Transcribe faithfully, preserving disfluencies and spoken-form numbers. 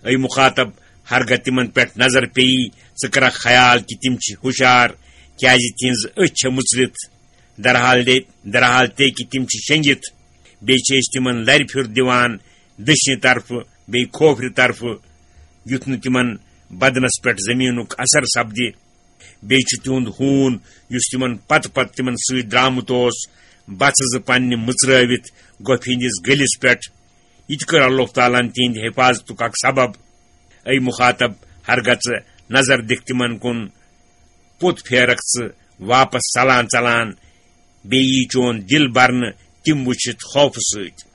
A مخاطب، ہرگاہ تِمن پٮ۪ٹھ نظر پیٚیہِ، ژٕ کرکھ خیال کہِ تِم چھِ ہُشار، کیازِ تِہنٛز أچھ چھےٚ مُژرِتھ۔ درحال دے درحال تے کہِ تِم چھِ شیٚنگِتھ۔ بیٚیہِ چھِ أسۍ تِمن لرِ پھِیُر دِوان، دٔچھنہِ طرفہٕ بیٚیہِ کھوفرِ طرفہٕ، یُتھ نہٕ تِمن بدنس پٮ۪ٹھ زٔمیٖنُک اثر سپدِ۔ بیٚیہِ چھُ تِہُنٛد ہوٗن، یُس تِمن پتہٕ پتہٕ تِمن سۭتۍ درٛامُت اوس، بژھٕ زٕ پننہِ مٕژرٲوِتھ گۄپھِ ہٕنٛدِس گٔلِس پٮ۪ٹھ۔ یہِ تہِ کٔر اللہ تعالیٰ ہن تِہنٛدِ حفاظتُک اکھ سبب۔ اے مخاطب، ہرگاہ ژٕ نظر دِکھ تِمن کُن، پوٚت پھیرکھ ژٕ واپس ژلان ژلان، بیٚیہِ یی چون دِل برنہٕ تِم وٕچھِتھ خوفہٕ سۭتۍ۔